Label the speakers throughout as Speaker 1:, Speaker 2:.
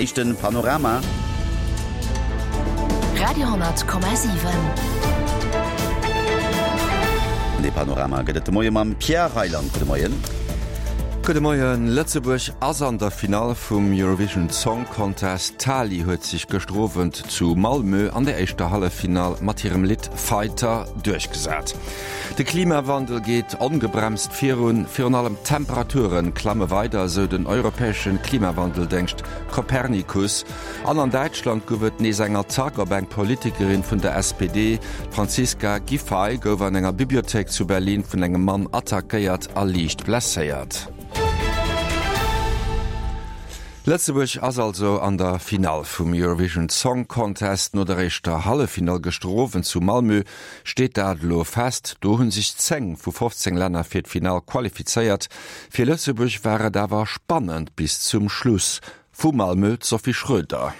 Speaker 1: éischten Panorama.
Speaker 2: Radio,7.
Speaker 1: Dee Panorama gëtt et de Moie mam Pierre Reyland. Gudde Moien.
Speaker 3: Gudde Moien. Lëtzebuerg ass an der Finall vum Eurovision Song Contest. D'Tali huet sech gëschter Owend zu Malmö an der éischter Halleffinall mat hirem Lidd Fighter duerchgesat. De Klimawandel geet ongebremst virun, virun allem d'Temperature klamme weider, esou den europäesche Klimawandeldéngscht Copernicus. An an Däitschland gouf et nees eng Attack op eng Politikerin vun der SPD. D'Franziska Giffey gouf an enger Bibliothéik zu Berlin vun engem Mann attackéiert a liicht blesséiert. Lëtzebuerg ass also an der Finall vum Eurovision Song Contest. No der éischter Halleffinall gëschter Owend zu Malmö steet dat elo fest. Do hu sech 10 vu 15 Länner fir d'Finall qualifizéiert. Fir Lëtzebuerg war et awer spannend bis zum Schluss. Vu Malmö d'Sophie Schröder.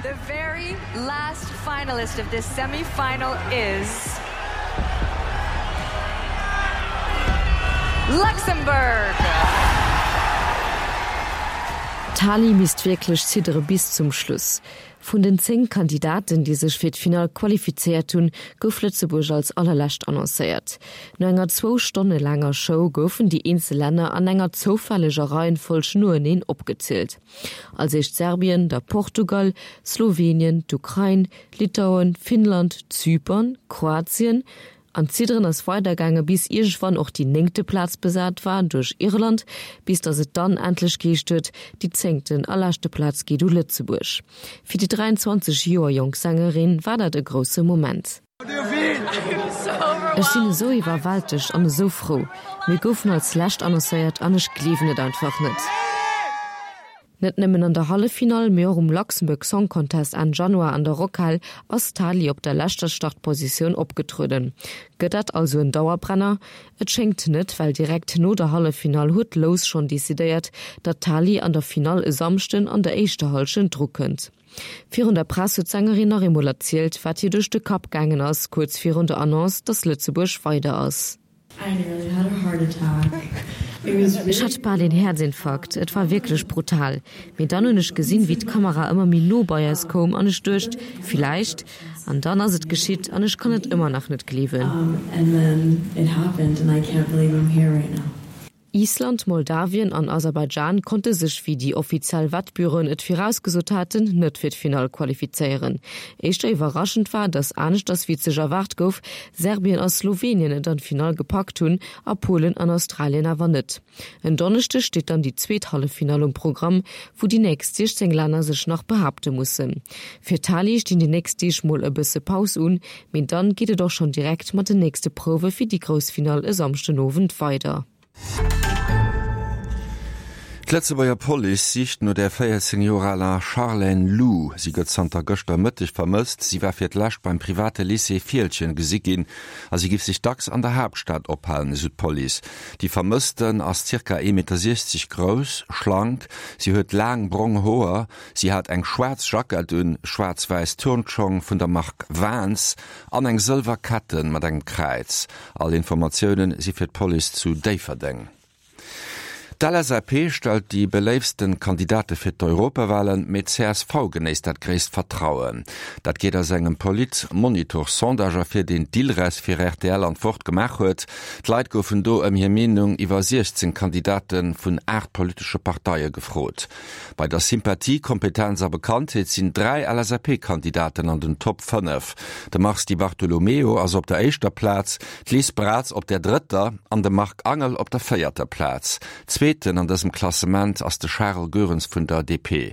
Speaker 4: The very last finalist of this semi-final is Luxembourg!
Speaker 5: D'Tali misst wierklech ziddere bis zum Schluss. Vun den 10 Kandidaten, déi sech fir d'Finall qualifizéiert hunn, gouf Lëtzebuerg als allerlescht annoncéiert. No enger zwou Stonne laanger Show goufen déi eenzel Länner an enger zoufälleger Reihenfolg noeneen opgezielt. Als éischt Serbien, da Portugal, Slowenien, d'Ukrain, Litauen, Finnland, Zypern, Kroatien, An d'Zidderen ass weidergaange bis iergendwann och déi néngte Plaz besat war duerch Irland, bis datt et dann endlech geheescht huet, déi zéngten a leschte Plaz geet u Lëtzebuerg. Fir déi 23 Joer jonk Sängerin war dat e grousse Moment. Ech sinn esou iwwerwältegt an esou frou. Mir goufen als lescht annoncéiert an ech gleewen et einfach net. Net nëmmen an der Halleffinall, mee och um Luxembourg Song Contest Enn Januar an der Rockhal ass d'Tali op der leschter Startpositioun opgetrueden. Gëtt dat also en Dauerbrenner? Et schéngt net, well direkt no der Halleffinall huet d'Lous schonn decidéiert, datt d'Tali an der Finall e Samschden an der éischter Hallschent drukënnt. Virun der Press huet d'Sängerin nach eemol erzielt, wat hir duerch de Kapp gaangen ass, kuerz virun der Annonce, datt Lëtzebuerg weider ass. Ech hat bal een Häerzinfarkt, et war wierklech brutal. Mee dann hunn ech gesinn, wéi d'Kamera ëmmer méi no bei eis koum an ech duecht, villäicht. An dann ass et geschitt an ech kann et ëmmer nach net gleewen. Island, Moldawien an Aserbaidschan konnte sech, wéi déi offiziell Wettbüroen et virausgesot haten, net fir d'Finall qualifizéieren. Éischter iwwerraschend war, datt aneschters wéi et sech erwaart gouf, Serbien a Slowenien et an d'Finall gepackt hunn a Polen an Australien awer net. En Donneschdeg steet dann déi zweet Halleffinall um Programm, wou déi nächst 16 Länner sech nach behaapte mussen. Fir d'Tali stinn déi nächst Deeg mol e bësse Paus un, mee dann geet et och schonn direkt mat den nächste Prouwe fir déi grouss Finall e Samschdenowend weider.
Speaker 3: D'Lëtzebuerger Police sicht no der 14 Joer aler Charlène Lou. Si gëtt zanter gëschter Mëtteg vermësst. Si war fir d'lescht beim private Lycée Fieldgen gesi ginn a si giff sech dacks an der Haaptstad ophalen, esou d'Police. Déi Vermëssten ass zirka 1,60 Meter grouss, schlank, si huet laang brong Hoer, si hat eng schwaarz Jackett un, schwaarz-wäiss Turnschong vun der Mark Vans an eng sëlwer Ketten mat engem Kräiz. All Informatiounen si fir d'Police zu Déifferdeng. D'LSAP stellt déi beléiftsten Kandidate fir d'Europawalen, mee d'CSV genéisst dat gréisst Vertrauen. Dat geet aus engem Politmonitor-Sondage ervir, deen d'Ilres fir rtl an d'Wort gemaach huet. D'Leit goufen do ëm hir Meenung iwwer 16 Kandidate vun 8 politesche Parteie gefrot. Bei der Sympathie, Kompetenz a Bekanntheet sinn 3 LSAP-Kandidaten an den Top 5. De Mars Di Bartolomeo ass op der éischter Plaz, d'Liz Braz op der drëtter an de Marc Angel op der véierter Plaz. Zweeten an dësem Klassement ass de Charel Goerens vun der DP.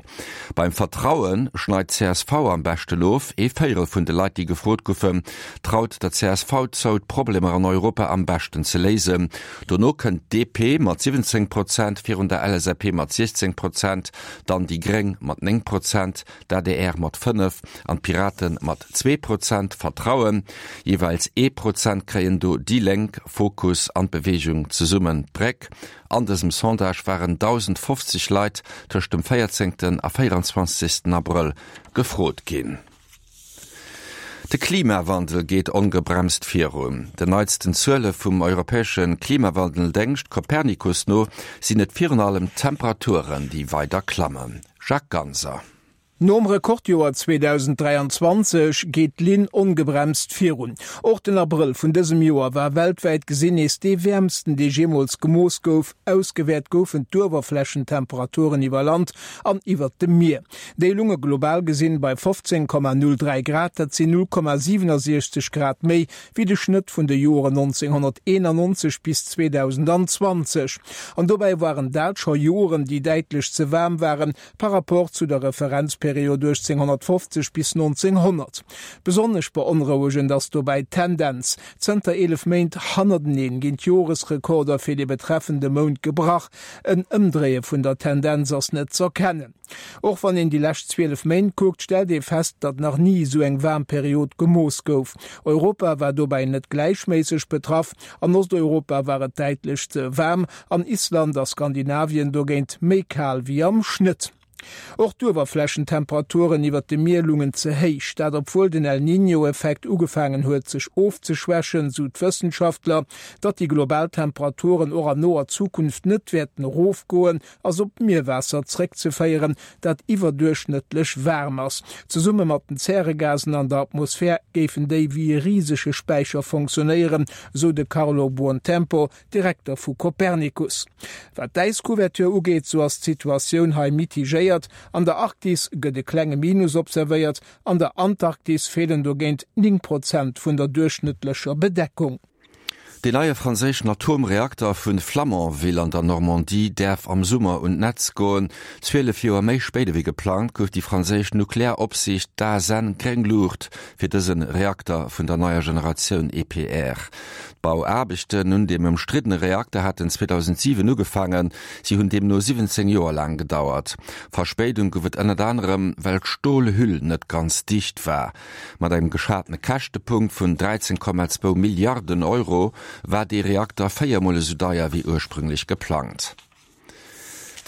Speaker 3: Beim Vertraue schneit csv am beschten of. Ee Véierel vun de Leit, déi gefrot goufen, traut der csv zou, d'Problemer an Europa am beschten ze léisen. Dono kënnt d'DP mat 17 Prozent, virun der LSAP mat 16 Prozent, dann déi Gréng mat 9 Prozent, d'ADR mat 5 an d'Pirate mat zwee Prozent. Vertrauen, jeeweils ee Prozent kréien do déi Lénk, Fokus an d'Beweegung Zesummen d'Bréck. An dësem Sondage waren 1.050 Leit tëscht dem 14 a 24 Abrëll gefrot ginn. De Klimawandel geet ongebremst virun. Den neitsten Zuele vum europäesche Klimawandeldéngscht Copernicus no sinn et virun allem d'Temperaturen, déi weider klammen. Jacques Ganser.
Speaker 2: Nom Rekordjoer 2023 geet d'Linn ongebremst virun. Och den Abrëll vun dësem Joer war weltwäit gesinn nees dee wäermsten, dee jeemools gemooss gouf. Ausgewäert goufen d'Uewerflächentemperaturen iwwer Land an iwwert dem Mier. Déi lunge global gesinn bei 15,03 Grad, dat sinn 0,67 Grad méi wéi de Schnëtt vun de Joren 1991 bis 2020. An dobäi waren dat scho Joren, déi däitlech ze waarm waren par rapport zu der Referenzperiod 1850 bis 1900. Besonnesch beonrouegend ass dobäi d'Tendenz, Zënter 11 Méint hannerteneen ginn d'Joresrekorder fir de betreffende Mount gebrach. En Ëmdréie vun der Tendenz ass net z'erkennen. Och wann een déi lescht 12 Méint kuckt, stellt ee fest, datt nach ni esou eng waarm Period gemooss gouf. Europa war dobäi net gläichméisseg betraff. An Osteuropa war et däitlech ze waarm, an Island a Skandinavien dogéint méi kal wéi am Schnëtt. Och d'Uewerflächentemperaturen iwwert dem Mier lungen ze héich, dat obwuel den El Niño-Effekt ugefaangen huet sech ofzeschwächen, sou d'Wëssenschaftler. Datt déi global Temperaturen och an noer Zukunft net wäerten erofgoen, ass op d'Mierwaasser zréckzeféieren, dat iwwerduerchschnëttlech waarm ass. Zesumme mat den Zäregasen an der Atmosphär géifen déi wéi e risege Späicher fonctionnéieren, sou de Carlo Buontempo, Direkter vu Copernicus. Wat d'Äiscouverture ugeet, sou ass d'Situatioun hei mitigéiert. An der Arktis gëtt e klenge Minus observéiert, an der Antarktis feelen dogéint 9 Prozent vun der duerchschnëttlecher Bedeckung.
Speaker 3: Deen neie franséischen Atomreakter vu Flamanville an der Normandie däerf am Summer un d'Netz goen. 12 Joer méi spéit ewéi geplangt gouf déi franséisch Nuklearopsiicht, d'ASN, gréng Luucht fir dëse Reakter vun der neier Generatioun EPR. D'Bauaarbechten un deem ëmstriddene Reakter haten 2007 ugefaangen, si hunn deemno 17 Joer laang gedauert. Verspéidung gouf et ënnert anerem, well d'Stolhüll net ganz dicht war. Mat engem geschatene Käschtepunkt vun 13,2 Milliarden Euro war dee Reakter véiermol esou deier wéi ursprünglech geplangt.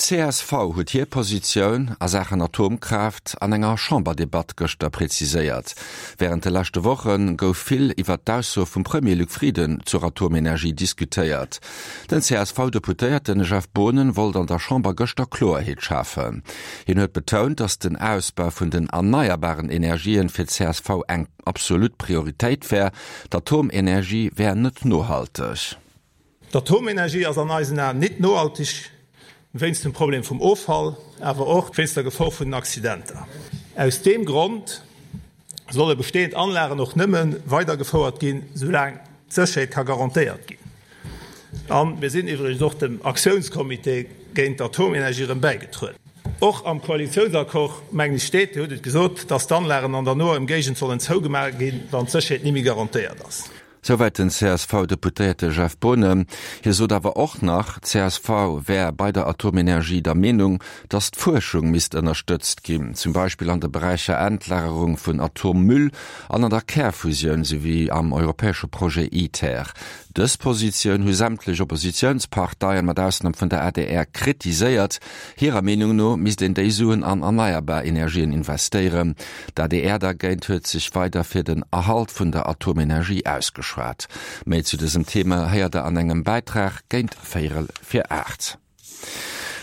Speaker 3: D'CSV huet hir Positioun a Saachen Atomkraaft an enger Chamberdebatt gëschter präziséiert. Wärend de leschte Woche gouf vill iwwert d'Ausso vum Premier Luc Frieden zur Atomenergie diskutéiert. Den CSV-Deputéierte Jeff Boonen wollt an der Chamber gëschter Kloerheet schafen. Hien huet betount, datt den Ausbau vun den erneierbaren Energien fir d'CSV eng absolut Prioritéit wär. D'Atomenergie wär net nohalteg.
Speaker 6: D'Atomenergie ass an eisen Aen nit nohalteg, wéinst dem Problem vum Offall, awer och wéinst der Gefor vun den Accidenter. Aus deem Grond solle bestehend Anlagen och nëmme weidergefouert ginn, soulaang d'Sécherheet ka garantéiert ginn. A mir sinn iwwregens och dem Aktiounscomité géint d'Atomenergie erëm bäigetrueden. Och am Koalitiounsaccord, mengen ech, steet, Dir hutt et gesot, dass d'Anlagen an der noer Emgéigend sollen zougemaach ginn, wann d'Sécherheet ni méi garantéiert ass.
Speaker 3: Souwäit den CSV-Deputéierte Jeff Boonen. Hie sot awer och nach, csv wär bei der Atomenergie der Meenung, datt d'Fuerschung misst ënnerstëtzt ginn, zum Beispill an de Beräicher Endlagerung vun Atommüll an an der Kärfusioun souwéi am europäesche Projet ITER. Dës Positioun hu sämtlech Oppositiounsparteien, mat Ausnam vun der adr, kritiséiert. Hirer Meenung no misst een déi Suen an erneierbar Energien investéieren. D'ADR dergéint huet sech weider fir den Erhalt vun der Atomenergie ausgeschwat. Méi zu dësem Thema héiert der an engem Bäitrag géint véierel fir 8.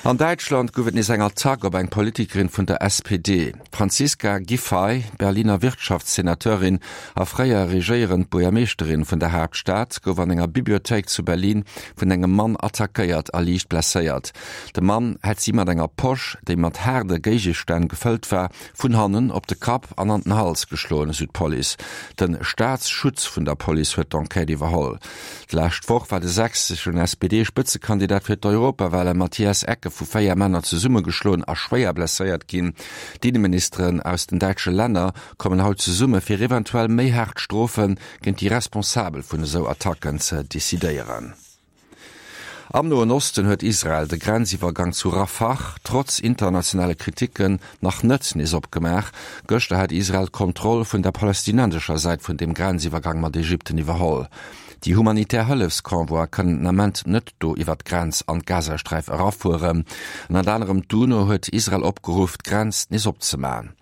Speaker 3: An Däitschland gouf et nees eng Attack op eng Politikerin vun der SPD. D'Franziska Giffey, Berliner Wirtschaftssenateurin a fréier regéierend Buergermeeschterin vun der Haaptstad, gouf an enger Bibliothéik zu Berlin vun engem Mann attackéiert a liicht blesséiert. De Mann hätt si mat enger Posch, déi mat haarde Géigestänn gefëllt war, vun hannen op de Kapp an an den Hals geschloen, esou d'Police. De Staatsschutz vun der Police huet d'Enquête iwwerholl. D'lescht Woch war de sächseschen SPD-Spëtzekandidat fir d'Europawale Matthias Ecke vu 4 Männer zesummegeschloen a schwéier blesséiert ginn. D'Inneministeren aus den däitsche Länner kommen haut zesumme fir eventuell méi haart Strofe géint déi Responsabel vun esou Attacken ze decidéieren. Am Noen Osten huet Israel de Grenziwwergang zu Rafah trotz internationale Kriticken nach net nees opgemaach. Gëschter hat Israel d'Kontroll vun der palästinensescher Säit vun deem Grenziwwergang mat Ägypten iwwerholl. Déi humanitär Hëllefsconvoie kënnen den Ament net do iwwer d'Grenz an d'Gazasträif erafueren. Ënnert anerem d'UNO huet Israel opgeruff, d'Grenz nees opzemaen.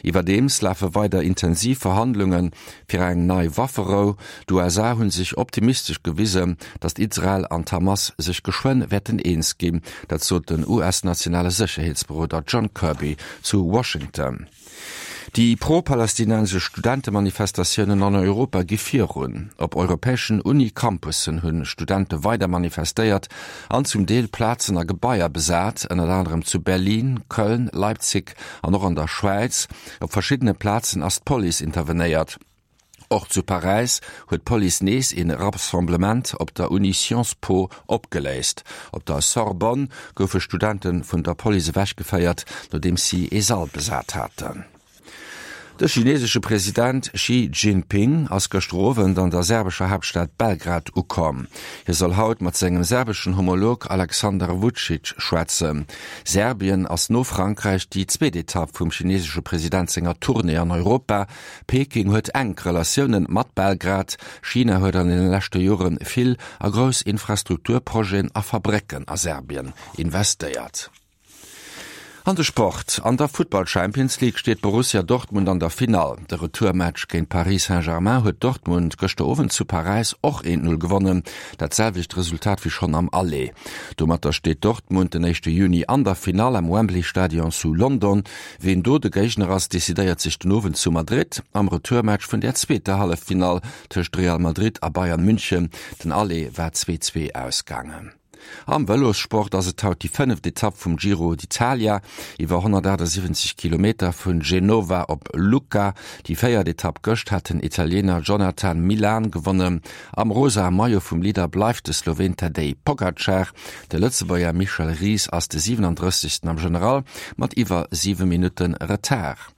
Speaker 3: Iwwerdeems lafe weider intensiv Verhandlunge fir eng nei Wafferou. D'USA hu sech optimistesch gewisen, datt Israel an d'Hamas sech. sech geschwënn wäerten eens ginn. Dat sot den US-nationale Sécherheetsberoder John Kirby zu Washington. Déi pro-palästinensesch Studentemanifestatiounen an Europa gi virun. Op europäeschen Uni-Campussen hu Studente weider manifestéiert an zum Deel Plazen a Gebaier besat, ënnert anerem zu Berlin, Köln, Leipzig an och an der Schwäiz. Op verschiddene Plazen ass d'Police intervenéiert. Och zu Paräis huet d'Police nees ee Rassemblement op der Uni Sciences Po opgeléist. Op der Sorbonne goufe Studente vun der Police ewechgeféiert, nodeems si ee Sall besat haten. De chinesesche President Xi Jinping ass gëschter Owend an der serbescher Haaptstad Belgrad ukomm. Hie soll haut mat sengem serbeschen Homolog Alexander Vucic schwätzen. Serbien ass no Frankräich déi zweet Etapp vum chinesesche President senger Tournée an Europa. Peking huet enk Relatioune mat Belgrad. China huet an deene leschte Jore vill a grouss Infrastrukturprojeten a Fabrécken a Serbien investéiert. An de Sport, An der Futtball-Champions League steet Borussia Dortmund an der Finall. De Retourmatch géint Paris Saint-Germain huet Dortmund gëschter Owend zu Paräis och 1, 0 gewonnen, dat selwecht Resultat wéi schonn am Aller. Domatter steet Dortmund den éischte Juni an der Finall am Wembley Stadion zu London. Ween do de Géigner ass, decidéiert sech den Owend zu Madrid am Retourmatch vun der zweeter Halleffinall tëscht Real Madrid a Bayern München. Den Aller war 2, 2 ausgaangen. Am Vëlossport ass et haut déi fënneft Etapp vum Giro d'Italia iwwer 178 Kilometer vun Genova op Lucca. Déi véiert Etapp gëscht hat den Italiener Jonathan Milan gewonnen. Am rosae Maillot vum Leader bleift de Sloween Tadej Pogacar. De Lëtzebuerger Michel Ries ass de 37. am General mat iwwer 7 Minutte Retard.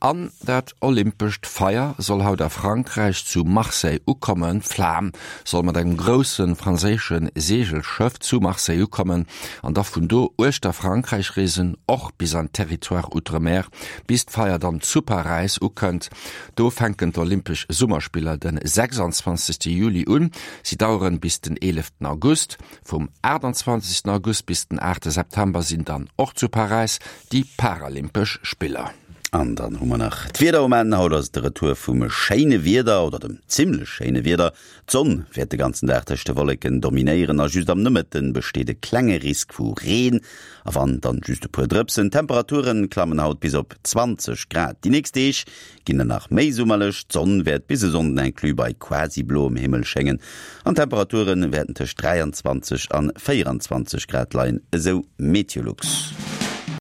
Speaker 3: An dat olympescht Feier soll haut a Frankräich zu Marseille ukommen. D'Flam soll mat engem grousse franséische Seegelschëff zu Marseille ukommen an da vun do uechter Frankräich reesen, och bis an d'Territoires Outre-mer, bis d'Feier dann zu Paräis ukënnt. Do fänken d'Olympesch Summerspiller de 26 Juli un. Si daueren bis den 11 August. Vum 28 August bis den 8 September sinn dann och zu Paräis déi Paralympesch Spiller.
Speaker 1: An dann hu mer nach d'Wieder um Enn. Haut ass et de Retour vum schéine Wieder, oder dem zimmlech schéine Wieder. D'Sonn wäert de ganzen Dag tëscht de Wolleken dominéieren a just am Nomëtte besteet e klenge Risk vu Reen, a wann, dann just e puer Drëpsen. D'Temperature klammen haut bis op 20 Grad. Déi nächst Deeg ginn dann nach méi summerlech, d'Sonn wäert bis e Sonnden inclus bei quasi bloem Himmel schéngen an d'Temperature wäerten tëscht 23 an 24 Grad leien, esou Meteolux.